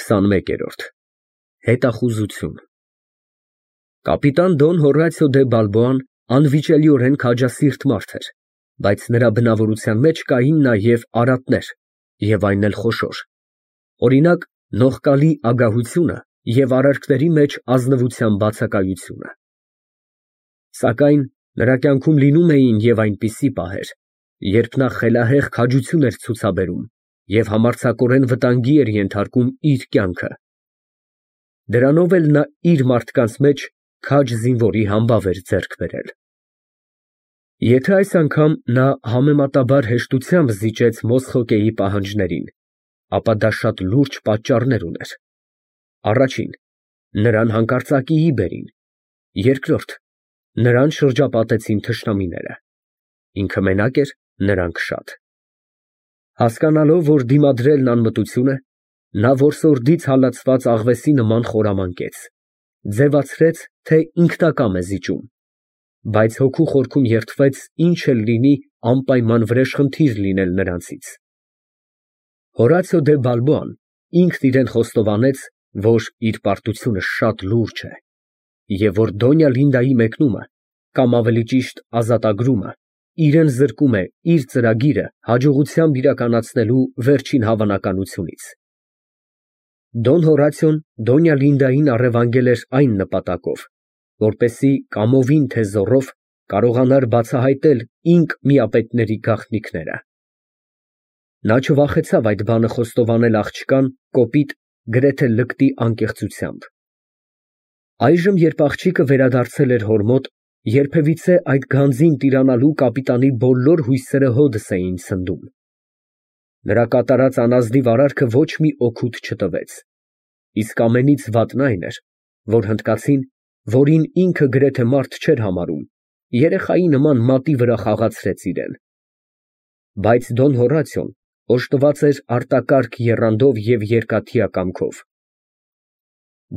21-րդ Հետախուզություն Կապիտան Դոն Հորացիո դե Բալբոան անվիճելիորեն քաջասիրտ մարդ էր, բայց նրա բնավորության մեջ կային նաև արատներ, և այն էլ խոշոր, օրինակ, նողկալի ագահությունը և արարքների մեջ ազնվության բացակայությունը։ Սակայն նրա կյանքում լինում էին և այնպիսի պահեր, երբ նա խելահեղ քաջություն էր ցուցաբերում և համարձակորեն վտանգի էր ենթարկում իր կյանքը։ Դրանով էլ նա իր մարդկանց մեջ քաջ զինվորի համբավ էր ձեռք բերել։ Եթե այս անգամ նա համեմատաբար հեշտությամբ զիջեց Մոսխոկեի պահանջներին, ապա դա շատ լուրջ պատճառներ ուներ. Առաջին, նրան հանկարծակիի բերին, երկրորդ, նրան շրջապատեցին թշնամիները, ինքը մենակ էր, նրանք շատ։ Հասկանալով, որ դիմադրելն անմտություն է, նա որսորդից հալածված աղվեսի նման խորամանկեց, ձևացրեց, թե ինքնակամ է զիջում, բայց հոգու խորքում երդվեց ինչ էլ լինի անպայման վրեժխնդիր լինել նրանցից։ Հորացիո դե Բալբոան ինքն իրան խոստովանեց, որ իր պարտությունը շատ լուրջ է, և որ Դոնյա Լինդայի մեկնումը, կամ ավելի ճիշտ ազատագրումը, իրան զրկում է իր ծրագիրը հաջողությամբ իրականացնելու վերջին հավանականությունից։ Դոն Հորացիոն Դոնյա Լինդային առևանգել էր այն նպատակով, որպեսզի կամովին թե զոռով կարողանար բացահայտել ինք միապետների գաղտնիքները։ Նա չվախեցավ այդ բանը խոստովանել աղջկան կոպիտ, գրեթե լկտի անկեղծությամբ։ Այժմ, երբ աղջիկը վերադարձել էր հոր մոտ, երբևիցե այդ գանձին տիրանալու կապիտանի բոլոր հույսերը հօդս էին ցնդում։ Նրա կատարած անազնիվ արարքը ոչ մի օգուտ չտվեց, իսկ ամենից վատն այն էր, որ հնդկացին, որին ինքը գրեթե մարդ չէր համարում, երեխայի նման մատի վրա խաղացրեց իրան։ Բայց Դոն Հորացիոն օժտված էր արտակարգ եռանդով և երկաթյա կամքով։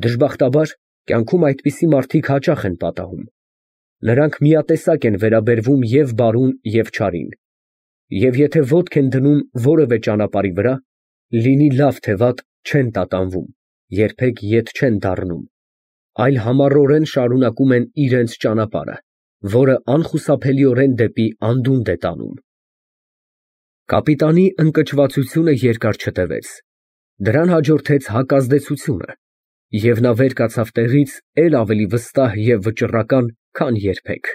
Դժբախտաբար, կյանքում այդպիսի մարդիկ հաճախ են պատահում։ Նրանք միատեսակ են վերաբերվում և բարուն, և չարին, և եթե ոտք են դնում որևէ ճանապարհի վրա, լինի լավ թե վատ, չեն տատանվում, երբեք ետ չեն դառնում, այլ համառորեն շարունակում են իրենց ճանապարհը, որը անխուսափելիորեն դեպի անդունդ է տանում։ Կապիտանի ընկճվածությունը երկար չտևեց, դրան հաջորդեց հակազդեցությունը, և նա վեր կացավ տեղից էլ ավելի վստահ և վճռական, քան երբեք։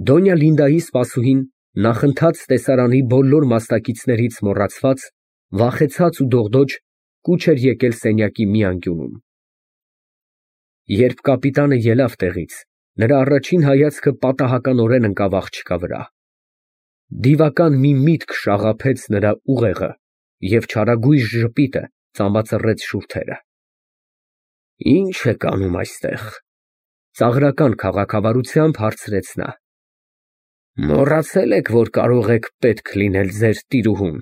Դոնյա Լինդայի սպասուհին, նախընթաց տեսարանի բոլոր մասնակիցներից մոռացված, վախեցած ու դողդոջ, կուչ էր եկել սենյակի մի անկյունում։ Երբ կապիտանը ելավ տեղից, նրա առաջին հայացքը պատահականորեն ընկավ աղջկա վրա։ Դիվական մի միտք շաղափեց նրա ուղեղը, և չարագույժ ժպիտը ծամբածռեց շուրթերը։ «Ի՞նչ եք անում այստեղ», ֊ ծաղրական քաղաքավարությամբ հարցրեց նա։ «Մոռացե՞լ եք, որ կարող եք պետք լինել ձեր տիրուհուն։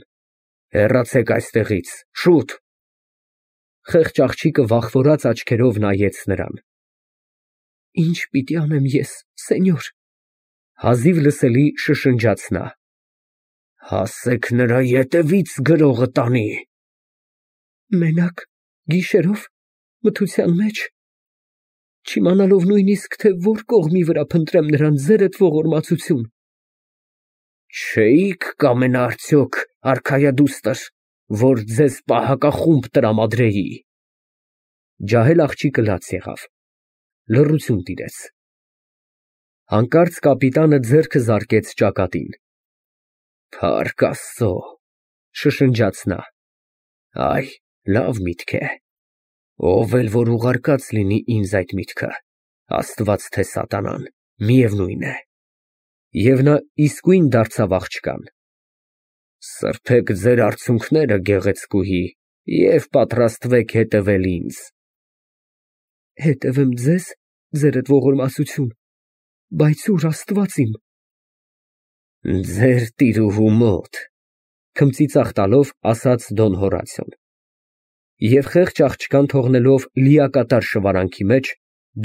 Հեռացեք այստեղից, շուտ»։ Խեղճ աղջիկը վախվորած աչքերով նայեց նրան։ «Ի՞նչ պիտի անեմ ես, սենյոր», ֊ հազիվ լսելի շշնջաց նա։ «Ասեք նրա ետևից գրողը տանի»։ «Մենակ, գիշերով, մթության մեջ, չիմանալով նույնիսկ, թե որ կողմի վրա փնտրեմ նրան ձերդ ողորմածություն։ Չէի՞ք կամենա արդյոք, արքայադուստր, որ ձեզ պահակախումբ տրամադրեի»։ Ջահել աղջիկը լաց եղավ։ Լռություն տիրեց։ Հանկարծ կապիտանը ձեռքը զարկեց ճակատին։ «Փառք Աստծո», ֊ շշնջաց նա։ «Այ, լավ միտք է։ Ով էլ որ ուղարկած լինի ինձ այդ միտքը, Աստված թե սատանան, միևնույն է»։ Եվ նա իսկույն դարձավ աղջկան։ «Սրբեք ձեր արցունքները, գեղեցկուհի, և պատրաստվեք հետևել ինձ»։ «Հետևեմ ձեզ, ձերդ ողորմածություն, բայց ո՞ւր, Աստված իմ»։ «Ձեր տիրուհու մոտ», ֊ քմծիծաղ տալով ասաց Դոն Հորացիոն։ Եվ խեղճ աղջկան թողնելով լիակատար շվարանքի մեջ,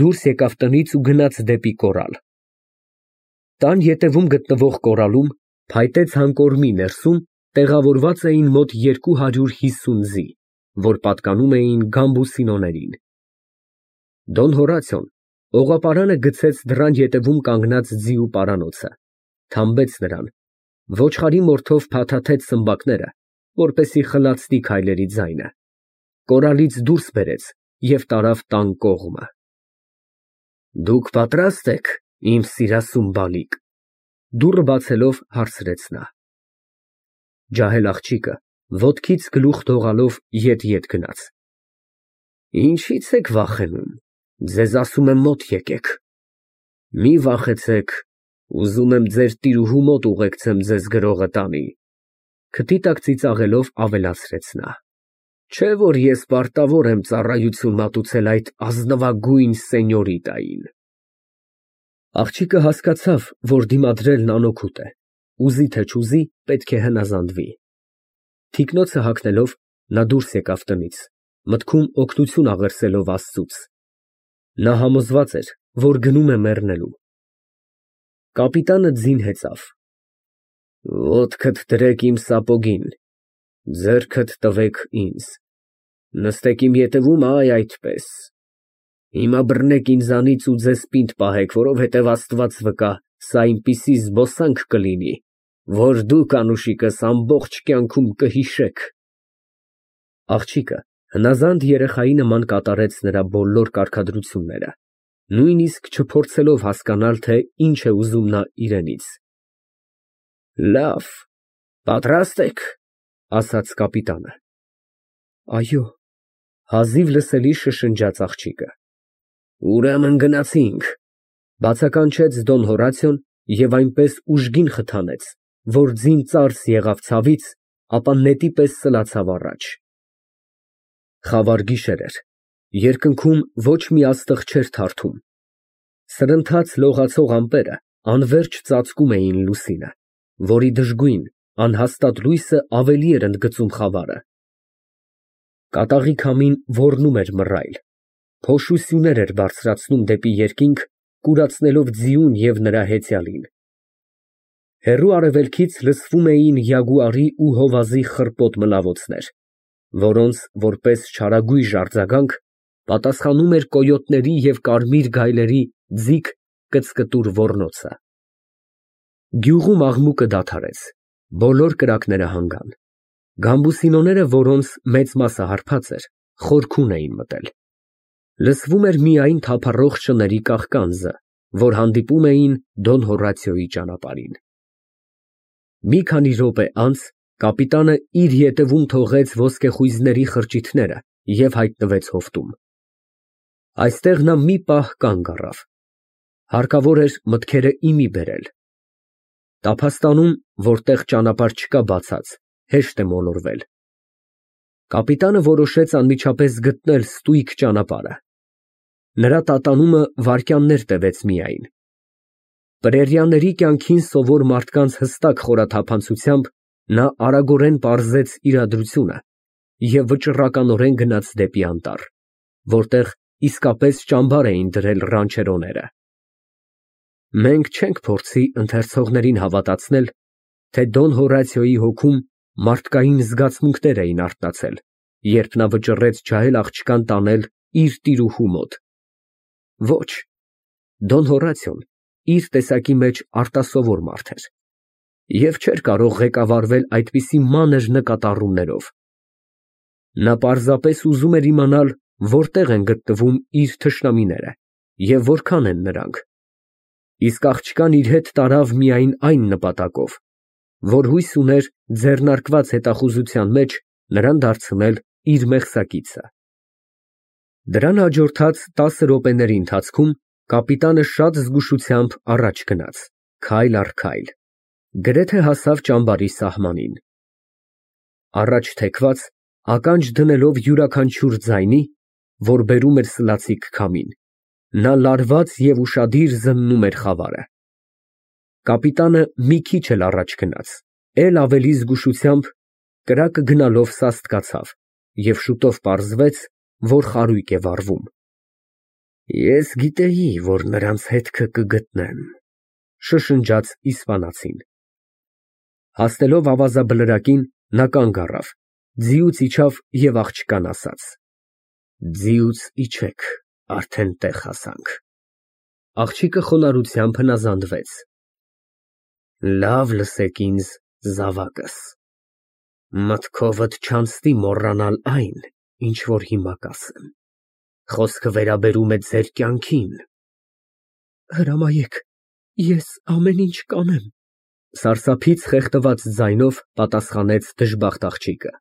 դուրս եկավ տնից ու գնաց դեպի կորալ։ Տան ետևում գտնվող կորալում, փայտե ցանկորմի ներսում տեղավորված էին մոտ 250 ձի, որ պատկանում էին Գամբուսինոներին։ Դոն Հորացիոն օղապարանը գցեց դռան ետևում կանգնած ձիու պարանոցը, թամբեց նրան, ոչխարի մորթով փաթաթեց սմբակները, որպեսզի խլացնի քայլերի ձայնը, կորալից դուրս բերեց և տարավ տան կողմը։ Դուք պատրաստ եք, իմ սիրասուն բալիկ, դուռը բացելով հարցրեց նա։ Ջահել աղջիկը ոտքից գլուխ թողալով ետ գնաց։ Ինչի՞ց եք վախենում, ձեզ ասում եմ մոտ եկեք։ Մի վախեցեք, ուզում եմ ձեր տիրուհու մոտ ուղեկցեմ ձեզ գրողը տանի, քթի տակ ծիծաղելով ավելացրեց նա։ Չէ՞ որ ես պարտավոր եմ ծառայություն մատուցել այդ ազնվագույն սենյորիտային։ Աղջիկը հասկացավ, որ դիմադրելն անօգուտ է, ուզի թե չուզի, պետք է հնազանդվի։ Թիկնոցը հագնելով նա դուրս եկավ տնից, մտքում օգնություն աղերսելով Աստծուց։ Նա համոզված էր, որ գնում է մեռնելու։ Կապիտանը ձին հեծավ։ Ոտքդ դրեք իմ սապոգին, ձեռքդ տվեք ինձ, նստեք իմ ետևում, այ այդպես։ Հիմա բռնեք ինձանից ու ձեզ պինդ պահեք, որովհետև Աստված վկա, սա այնպիսի զբոսանք կլինի, որ դուք անուշիկս ամբողջ կյանքում կհիշեք։ Աղջիկը հնազանդ երեխայի նման կատարեց նրա բոլոր կարգադրությունները, նույնիսկ չփորձելով հասկանալ, թե ինչ է ուզում նա իրենից։ Լավ, պատրաստ եք, ասաց կապիտանը։ Այո, հազիվ լսելի շշնջաց աղջիկը։ Ուրեմն գնացինք, բացականչեց Դոն Հորացիոն և այնպես ուժգին խթանեց, որ ձին ծարս եղավ ցավից, ապա նետի պես սլացավ առաջ։ Խավար գիշեր էր, երկնքում ոչ մի աստղ չէր թարթում։ Սրընթաց լողացող ամպերը անվերջ ծածկում էին լուսինը, որի դժգույն, անհաստատ լույսը ավելի էր ընդգծում խավարը։ Կատաղի քամին ոռնում էր մռայլ, փոշու սյուներ էր բարձրացնում դեպի երկինք, կուրացնելով ձիուն և նրա հեծյալին։ Հեռու արևելքից լսվում էին յագուարի ու հովազի խռպոտ մլավոցներ, որոնց, որպես չարագույժ արձագանք, պատասխանում էր կոյոտների և կարմիր գայլերի ձիգ կծկտուր ոռնոցը։ Գյուղում աղմուկը դադարեց, բոլոր կրակները հանգան։ Գամբուսինոները, որոնց մեծ մասը հարբած էր, խորքուն էին մտել։ Լսվում էր միայն թափառող շների կաղկանձը, որ հանդիպում էին Դոն Հորատիոյի ճանապարհին։ Մի քանի րոպե անց կապիտանը իր ետևում թողեց ոսկեխույզների խրճիթները և հայտնվեց հովտում։ Այստեղ նա մի պահ կանգ առավ։ Հարկավոր էր մտքերը իմի բերել։ Տափաստանում, որտեղ ճանապարհ չկա բացած, հեշտ է մոլորվել։ Կապիտանը որոշեց անմիջապես գտնել ստույգ ճանապարհը։ Նրա տատանումը վայրկյաններ տևեց միայն։ Պրերիաների կյանքին սովոր մարդկանց հստակ խորաթափանցությամբ նա արագորեն պարզեց իրադրությունը և վճռականորեն գնաց դեպի անտառ, որտեղ իսկապես ճամբար էին դրել ռանչերոները։ Մենք չենք փորձի ընթերցողներին հավատացնել, թե Դոն Հորատիոյի հոգում մարդկային զգացմունքներ էին արթնացել, երբ նա վճռեց ջահել աղջկան տանել իր տիրուհու մոտ։ Ոչ, Դոն Հորատիոն իր տեսակի մեջ արտասովոր մարդ էր և չէր կարող ղեկավարվել այդպիսի մանր նկատառումներով։ Նա պարզապես ուզում էր իմանալ, որտեղ են գտնվում իր թշնամիները և որքան են նրանք, իսկ աղջկան իր հետ տարավ միայն այն նպատակով, որ հույս ուներ ձեռնարկված հետախուզության մեջ նրան դարձնել իր մեղսակիցը։ Դրան հաջորդած 10 րոպեների ընթացքում կապիտանը շատ զգուշությամբ առաջ գնաց, քայլ առ քայլ, գրեթե հասավ ճամբարի սահմանին։ Առաջ թեքված, ականջ դնելով յուրաքանչյուր ձայնի, որ բերում էր սլացիկ քամին, նա լարված և ուշադիր զննում էր խավարը։ Կապիտանը մի քիչ էլ առաջ գնաց, էլ ավելի զգուշությամբ, կրակը գնալով սաստկացավ և շուտով պարզվեց, որ խարույկ է վառվում։ Ես գիտեի, որ նրանց հետքը կգտնեմ, շշնջաց իսպանացին։ Հասնելով ավազաբլրակին, նա կանգ առավ Ձիուց իջավ և աղջկան ասաց. Ձիուց իջեք, արդեն տեղ հասանք։ Աղջիկը խոնարհությամբ հնազանդվեց. Լավ լսեք ինձ, զավակս, մտքովդ չանցնի մոռանալ այն, ինչ որ հիմա կասեմ, խոսքը վերաբերում է ձեր կյանքին։ Հրամայեք, ես ամեն ինչ կանեմ, սարսափից խեղդված ձայնով պատասխանեց դժբախտ աղջիկը։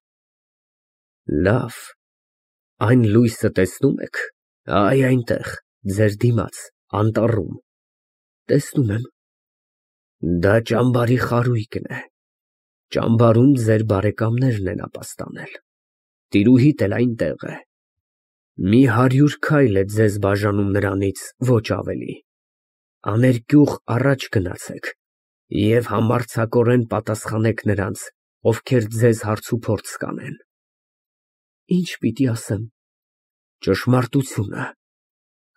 Լավ, այն լույսը տեսնում եք, այ այնտեղ, ձեր դիմաց, անտառում։ Տեսնում եմ։ Դա ճամբարի խարույկն է։ Ճամբարում ձեր բարեկամներն են ապաստանել։ Տիրուհիդ էլ այնտեղ է։ Մի 100 քայլ է ձեզ բաժանում նրանից, ոչ ավելի։ Աներկյուղ առաջ գնացեք և համարձակորեն պատասխանեք նրանց, ովքեր ձեզ հարցուփորձ կանեն։ Ինչ պիտի ասեմ։ Ճշմարտությունը։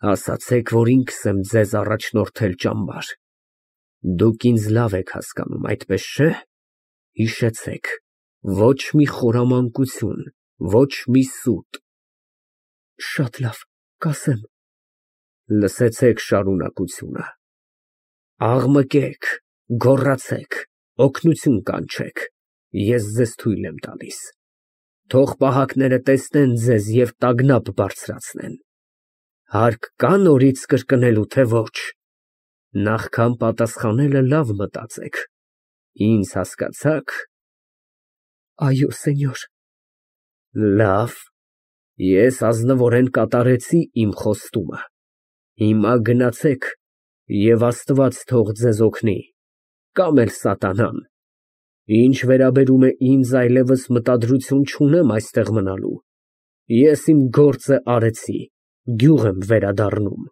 Ասացեք, որ ինքս եմ ձեզ առաջնորդել ճամբար։ Դուք ինձ լավ եք հասկանում, այդպես չէ։ Հիշեցեք, ոչ մի խորամանկություն, ոչ մի սուտ։ Շատ լավ, կասեմ։ Լսեցեք շարունակությունը։ Աղմկեք, գոռացեք, օգնություն կանչեք, ես ձեզ թույլ եմ տալիս։ Թող պահակները տեսնեն ձեզ և տագնապ բարձրացնեն։ Հարկ կա նորից կրկնելու, թե ոչ։ Նախքան պատասխանելը լավ մտածեք։ Ինձ հասկացա՞ք։ Այո, սենյոր։ Լավ, ես ազնվորեն կատարեցի իմ խոստումը։ Հիմա գնացեք և Աստված թող ձեզ օգնի, կամ էլ սատանան։ Ինչ վերաբերում է ինձ, այլևս մտադրություն չունեմ այստեղ մնալու։ Ես իմ գործը արեցի, գյուղ եմ վերադառնում։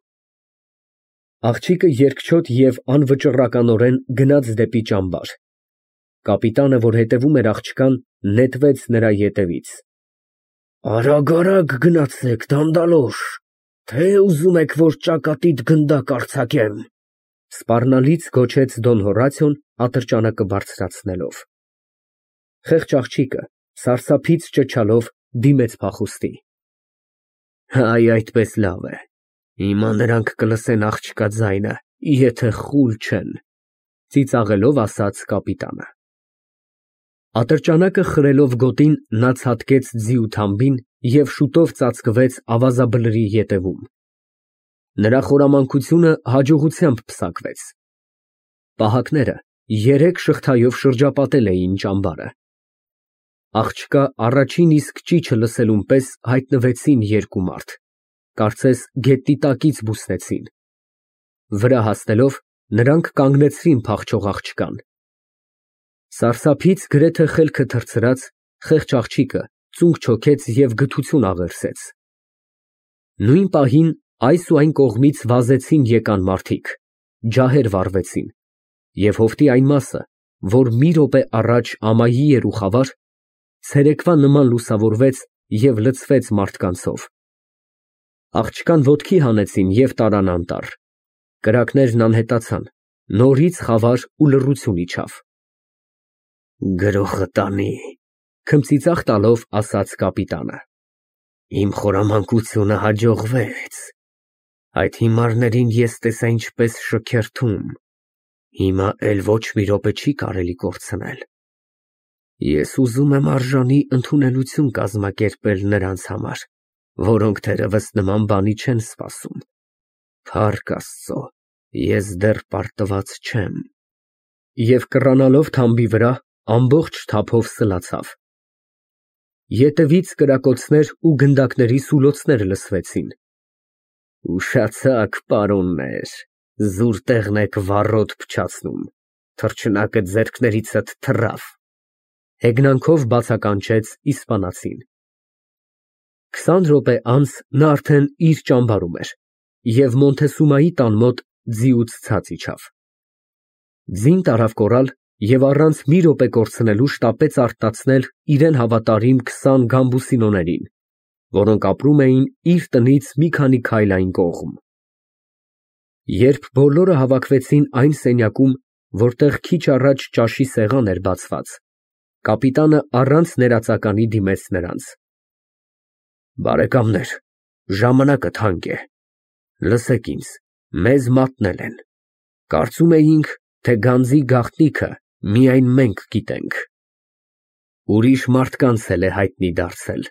Աղջիկը երկչոտ և անվճռականորեն գնաց դեպի ճամբար։ Կապիտանը, որ հետևում էր աղջկան, նետվեց նրա ետևից։ Արագ գնացեք, դանդալոշ, թե ուզում եք, որ ճակատիդ գնդակ արձակեմ։ Սպառնալից գոչեց Դոն Հորատիոն ատրճանակը բարձրացնելով։ Խեղճ աղջիկը սարսափից ճչալով դիմեց փախուստի։ Այ այդպես լավ է։ Հիմա նրանք կլսեն աղջկա ձայնը, եթե խուլ չեն, ծիծաղելով ասաց կապիտանը։ Ատրճանակը խրելով գոտին նա ցատկեց ձիու թամբին և շուտով ծածկվեց ավազաբլրի ետևում։ Նրա խորամանկությունը հաջողությամբ պսակվեց։ Պահակները 3 շղթայով շրջապատել էին ճամբարը։ Աղջկա առաջին իսկ ճիչը լսելուն պես հայտնվեցին 2 մարդ, կարծես գետնի տակից բուսնեցին։ Վրա հասնելով նրանք կանգնեցրին փախչող աղջկան։ Սարսափից գրեթե խելքը թռցրած, խեղճ աղջիկը ծունկ չոքեց և գթություն աղերսեց։ Նույն պահին այս ու այն կողմից վազեցին եկան մարդիկ, ջահեր վառվեցին, և հովտի այն մասը, որ մի րոպե առաջ ամայի էր ու խավար, ցերեկվա նման լուսավորվեց և լցվեց մարդկանցով։ Աղջկան ոտքի հանեցին և տարան անտառ։ Կրակներն անհետացան, նորից խավար ու լռություն իջավ։ Գրոխը տանի, քմծիծաղ տալով ասաց կապիտանը։ Իմ խորամանկությունը հաջողվեց։ Այդ հիմարներին ես տեսա ինչպես շքերթում։ Հիմա էլ ոչ մի րոպե չի կարելի կորցնել։ Ես ուզում եմ արժանի ընդունելություն կազմակերպել նրանց համար, որոնք թերևս նման բանի չեն սպասում։ Փառք Աստծո, ես դեռ պարտված չեմ։ Եվ կռանալով թամբի վրա, ամբողջ թափով սլացավ։ Ետևից կրակոցներ ու գնդակների սուլոցներ լսվեցին։ Ուշացաք, պարոններ, զուր տեղն եք վառոդ փչացնում, թռչնակը ձեռքներիցդ թռավ, հեգնանքով բացականչեց իսպանացին։ 20 րոպե անց նա արդեն իր ճամբարում էր և Մոնթեսումայի տան մոտ ձիուց ցած իջավ։ Ձին տարավ կորալ և առանց մի րոպե կորցնելու շտապեց արտացնել իրեն հավատարիմ 20 գամբուսինոներին, որոնք ապրում էին իր տնից մի քանի քայլ այն կողմ։ Երբ բոլորը հավաքվեցին այն սենյակում, որտեղ քիչ առաջ ճաշի սեղան էր բացված, Կապիտանը առանց ներածականի դիմեց նրանց։ Բարեկամներ, ժամանակը թանկ է։ Լսեք ինձ, մեզ մատնել են։ Կարծում էինք, թե գանձի գաղտնիքը միայն մենք գիտենք։ Ուրիշ մարդկանց էլ է հայտնի դարձել։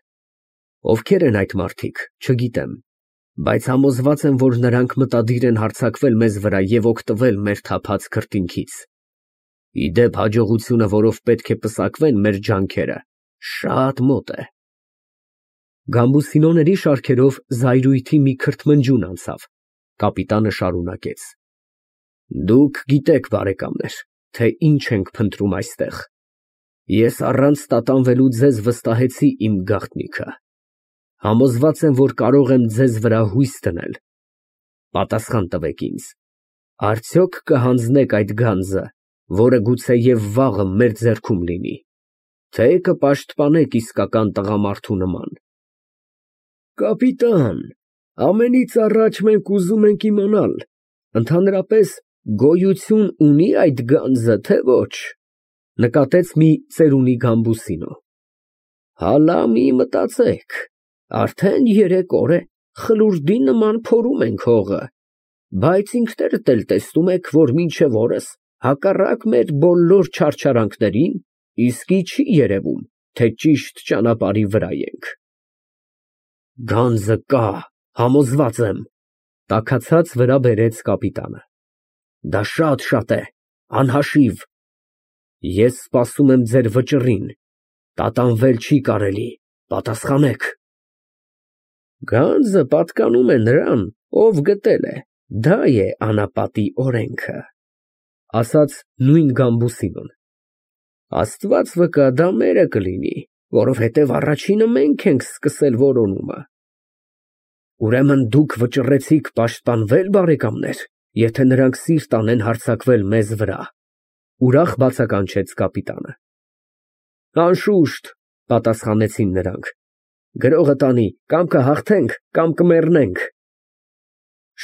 Ովքեր են այդ մարդիկ, չգիտեմ, բայց համոզված եմ, որ նրանք մտադիր են հարձակվել մեզ վրա և օգտվել մեր թափած քրտինքից։ Իդեպ հաջողությունը, որով պետք է պսակվեն մեր ջանքերը, շատ մոտ է։ Գամբուսինոների շարքերով զայրույթի մի քրթմնջուն անցավ։ Կապիտանը շարունակեց. Դուք գիտեք, բարեկամներ, թե ինչ ենք փնտրում այստեղ։ Ես առանց տատանվելու ձեզ վստահեցի իմ գաղտնիքը։ Համոզված եմ, որ կարող եմ ձեզ վրա հույս դնել։ Պատասխան տվեք ինձ. արդյոք կհանձնեք այդ գանձը, որը գուցեև վաղը մեր ձեռքում լինի, թե կպաշտպանեք իսկական տղամարդու նման։ Կապիտան, ամենից առաջ մենք ուզում ենք իմանալ, ընդհանրապես գոյություն ունի այդ գանձը, թե ոչ, նկատեց մի ծերունի Գամբուսինո։ Հալա մի մտածեք, արդեն 3 օր է, խլուրդի նման փորում ենք հողը, բայց ինքներդ էլ տեսնում եք, որ մինչև օրս, հակառակ մեր բոլոր չարչարանքներին, իսկի չի երևում, թե ճիշտ ճանապարհի վրա ենք։ Գանձը կա, համոզված եմ, տաքացած վրա բերեց կապիտանը։ Դա շատ է, անհաշիվ։ Ես սպասում եմ ձեր վճռին, տատանվել չի կարելի, պատասխանեք։ Գանձը պատկանում է նրան, ով գտել է, դա է անապատի օրենքը, ասաց նույն Գամբուսինոն։ Աստված վկա, դա մերը կլինի, որովհետև առաջինը մենք ենք սկսել որոնումը։ Ուրեմն դուք վճռեցիք պաշտպանվել, բարեկամներ, եթե նրանք սիրտ անեն հարձակվել մեզ վրա, ուրախ բացականչեց կապիտանը։ Անշուշտ, պատասխանեցին նրանք, գրողը տանի, կամ կհաղթենք, կամ կմեռնենք։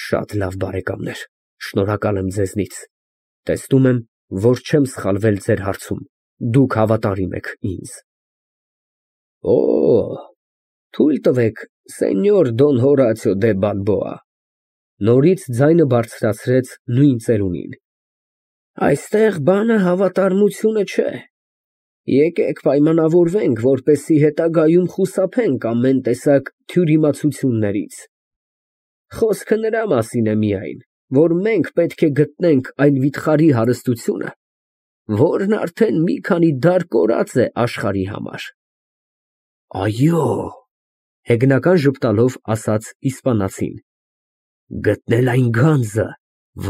Շատ լավ, բարեկամներ, շնորհակալ եմ ձեզնից, տեսնում եմ, որ չեմ սխալվել ձեր հարցում, դուք հավատարիմ եք ինձ։ Օ, թույլ տվեք, սենյոր Դոն Հորացիո դե Բալբոա, նորից ձայնը բարձրացրեց նույն ծերունին։ Այստեղ բանը հավատարմությունը չէ։ Եկեք պայմանավորվենք, որպեսզի հետագայում խուսափենք ամեն տեսակ թյուրիմացություններից։ Խոսքը նրա մասին է միայն, որ մենք պետք է գտնենք այն վիթխարի հարստությունը, որն արդեն մի քանի դար կորած է աշխարհի համար։ Այո, հեգնական ժպտալով ասաց իսպանացին, գտնել այն գանձը,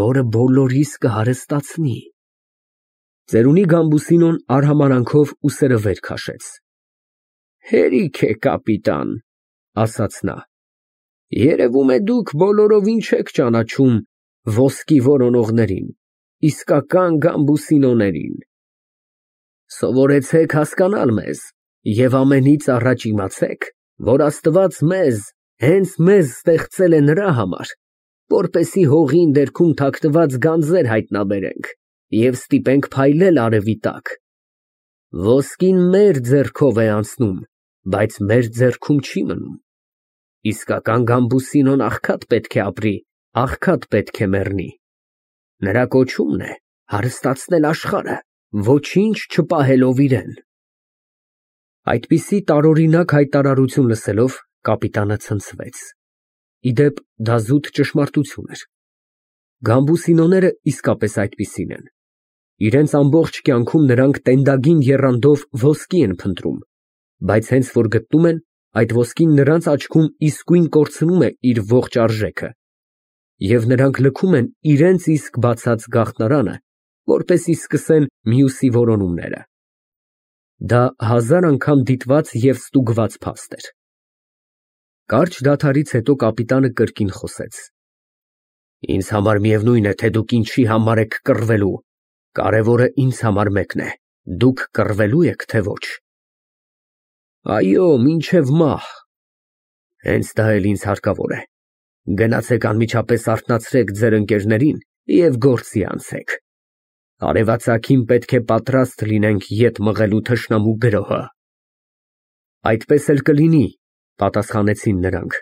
որը բոլորիս կհարստացնի։ Ծերունի Գամբուսինոն արհամարանքով ուսերը վեր քաշեց։ Հերիք է, կապիտան, ասաց նա։ Երևում է դուք բոլորովին չեք ճանաչում ոսկի որոնողներին, իսկական Գամբուսինոներին։ Սովորեցեք հասկանալ մեզ և ամենից առաջ իմացեք, որ Աստված մեզ, հենց մեզ ստեղծել է նրա համար, որպեսզի հողի ներքում թաքնված գանձեր հայտնաբերենք և ստիպենք փայլել արևի տակ։ Ոսկին մեր ձեռքով է անցնում, բայց մեր ձեռքում չի մնում։ Իսկական Գամբուսինոն աղքատ պետք է ապրի, աղքատ պետք է մեռնի։ Նրա կոչումն է հարստացնել աշխարհը, ոչինչ չպահելով իրեն։ Այդպիսի տարօրինակ հայտարարություն լսելով կապիտանը ցնցվեց։ Իդեպ դա զուտ ճշմարտություն էր։ Գամբուսինոները իսկապես այդպիսին են։ Իրենց ամբողջ կյանքում նրանք տենդագին եռանդով ոսկի են փնտրում, բայց հենց որ գտնում են, այդ ոսկին նրանց աչքում իսկույն կորցնում է իր ողջ արժեքը, և նրանք լքում են իրենց իսկ բացած գաղտնարանը, որպեսզի սկսեն մյուսի որոնումները։ Դա 1000 անգամ դիտված և ստուգված փաստ էր։ Կարճ դադարից հետո կապիտանը կրկին խոսեց. Ինձ համար միևնույն է, թե դուք ինչի համար եք կռվելու, կարևորը ինձ համար մեկն է, դուք կռվելու եք, թե ոչ։ Այո, մինչև մահ։ Հենց դա էլ ինձ հարկավոր է։ Գնացեք անմիջապես արթնացրեք ձեր ընկերներին և գործի անցեք։ Արևածագին պետք է պատրաստ լինենք ետ մղելու թշնամու գրոհը։ Այդպես էլ կլինի, պատասխանեցին նրանք։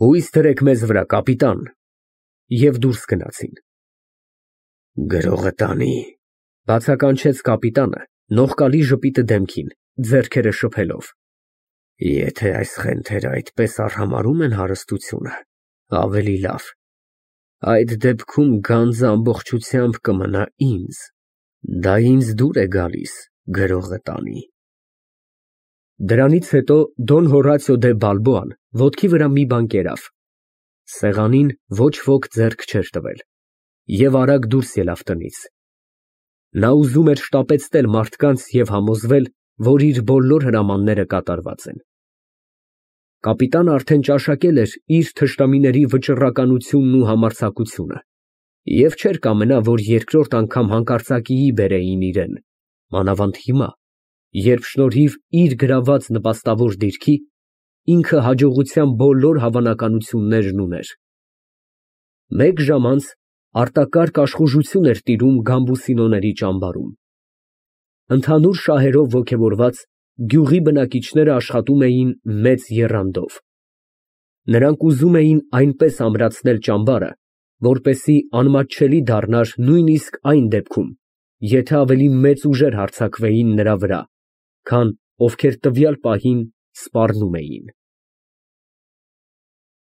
Հույս դրեք մեզ վրա, կապիտան։ Եվ դուրս գնացին։ Գրողը տանի, բացականչեց կապիտանը, նողկալի ժպիտը դեմքին, ձեռքերը շփելով։ Եթե այս խենթերը այդպես արհամարհում են հարստությունը, ավելի լավ։ Այդ դեպքում գանձը ամբողջությամբ կմնա ինձ։ Դա ինձ դուր է գալիս, գրողը տանի։ Դրանից հետո Դոն Հորացիո դե Բալբոան ոտքի վրա մի բան կերավ։ Սեղանին ոչ ոք ձեռք չէր տվել և արագ դուրս ելավ տնից։ Նա ուզում էր շտապեցնել մարդկանց և համոզվել, որ իր բոլոր հրամանները կատարված են։ Կապիտանը արդեն ճաշակել էր իր թշնամիների վճռականությունն ու համարձակությունը և չէր կամենա, որ երկրորդ անգամ հանկարծակիի բերեին իրան, մանավանդ հիմա, երբ շնորհիվ իր գրաված նպաստավոր դիրքի, ինքը հաջողության բոլոր հավանականություններն ուներ։ Մեկ ժամ անց արտակարգ աշխուժություն էր տիրում Գամբուսինոների ճամբարում։ Ընդհանուր շահերով ոգևորված, գյուղի բնակիչները աշխատում էին մեծ եռանդով։ Նրանք ուզում էին այնպես ամրացնել ճամբարը, որպեսզի անմատչելի դառնար նույնիսկ այն դեպքում, եթե ավելի մեծ ուժեր հարձակվեին նրա վրա, քան ովքեր տվյալ պահին սպառնում էին։